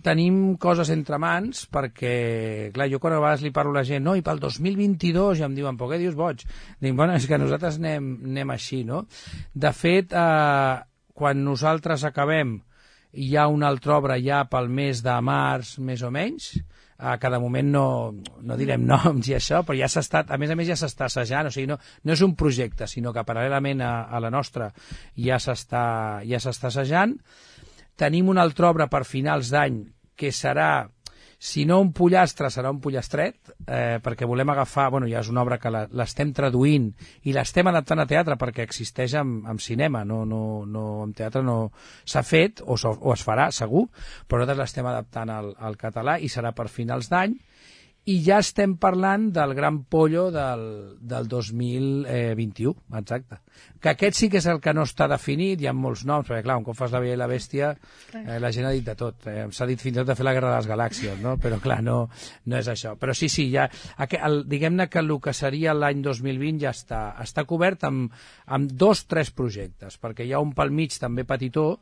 tenim coses entre mans perquè, clar, jo quan a vegades li parlo a la gent, no, i pel 2022, ja em diuen, però què dius, boig? Dic, bueno, és que nosaltres anem així, no? De fet, quan nosaltres acabem, hi ha una altra obra ja pel mes de març, més o menys, que de moment no direm noms i això, però ja s'està, a més ja s'està assajant, o sigui, no és un projecte, sinó que paral·lelament a la nostra ja s'està assajant. Tenim una altra obra per finals d'any que serà, si no un pollastre, serà un pollastret, perquè volem agafar, bueno, ja és una obra que l'estem traduint i l'estem adaptant a teatre perquè existeix en cinema, no en teatre no s'ha fet o es farà, segur, però nosaltres l'estem adaptant al català i serà per finals d'any. I ja estem parlant del Gran Pollo del 2021, exacte. Que aquest sí que és el que no està definit, hi ha molts noms, perquè clar, un cop fas La Bella i la Bèstia, la gent ha dit de tot. S'ha dit fins i tot de fer La Guerra de les Galàxies, no? Però clar, no és això. Però sí, ja, diguem-ne que el que seria l'any 2020 ja està cobert amb 2 o 3 projectes, perquè hi ha un pel mig també petitó,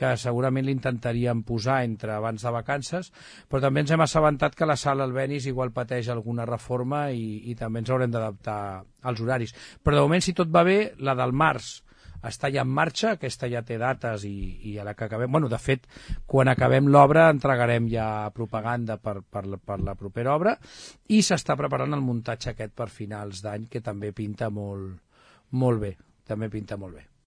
que segurament l'intentaríem posar entre abans de vacances, però també ens hem assabentat que la sala Albéniz igual pateix alguna reforma i també ens haurem d'adaptar als horaris. Però de moment, si tot va bé, la del març està ja en marxa, aquesta ja té dates i a la que acabem... Bueno, de fet, quan acabem l'obra entregarem ja propaganda per la propera obra i s'està preparant el muntatge aquest per finals d'any, que també pinta molt bé, també pinta molt bé.